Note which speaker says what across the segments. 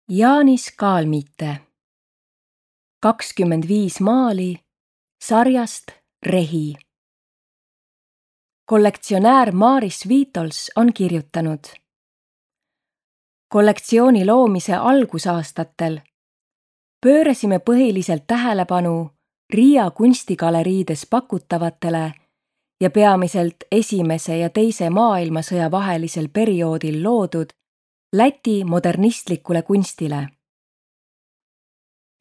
Speaker 1: Jaanis Kaalmite 25 maali sarjast Rehi. Kollektsionäär Maaris Viitols on kirjutanud. Kollektsiooni loomise algusaastatel pöörasime põhiliselt tähelepanu Riia kunstigaleriides pakutavatele ja peamiselt Esimese ja Teise maailmasõja vahelisel perioodil loodud Läti modernistlikule kunstile.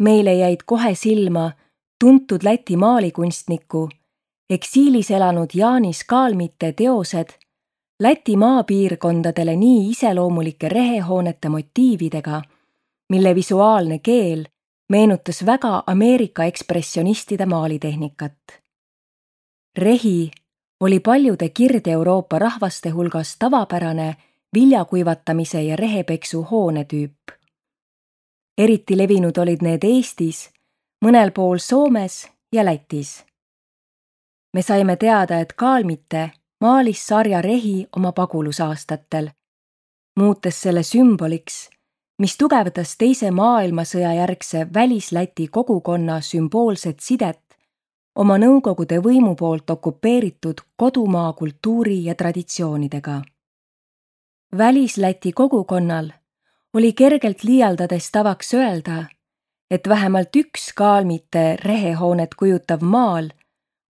Speaker 1: Meile jäid kohe silma tuntud Läti maalikunstniku, eksiilis elanud Jaanis Kaalmite teosed Läti maapiirkondadele nii iseloomulike rehehoonete motiividega, mille visuaalne keel meenutas väga Ameerika ekspressionistide maalitehnikat. Rehi oli paljude Kirde-Euroopa rahvaste hulgas tavapärane viljakuivatamise ja rehepeksu hoonetüüp. Eriti levinud olid need Eestis, mõnel pool Soomes ja Lätis. Me saime teada, et Kaalmite maalis sarja Rehi oma pagulusaastatel, muutes selle sümboliks, mis tugevdas Teise maailmasõja järgse Välis-Läti kogukonna sümboolset sidet oma Nõukogude võimu poolt okupeeritud kodumaa kultuuri ja traditsioonidega. Välis-Läti kogukonnal oli kergelt liialdades tavaks öelda, et vähemalt üks Kaalmite rehehoonet kujutav maal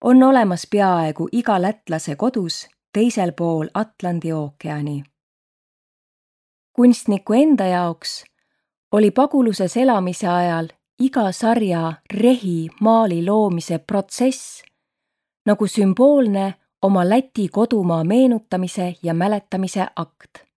Speaker 1: on olemas peaaegu iga lätlase kodus teisel pool Atlandi ookeani. Kunstniku enda jaoks oli paguluses elamise ajal iga sarja Rehi maali loomise protsess nagu sümboolne oma Läti kodumaa meenutamise ja mäletamise akt.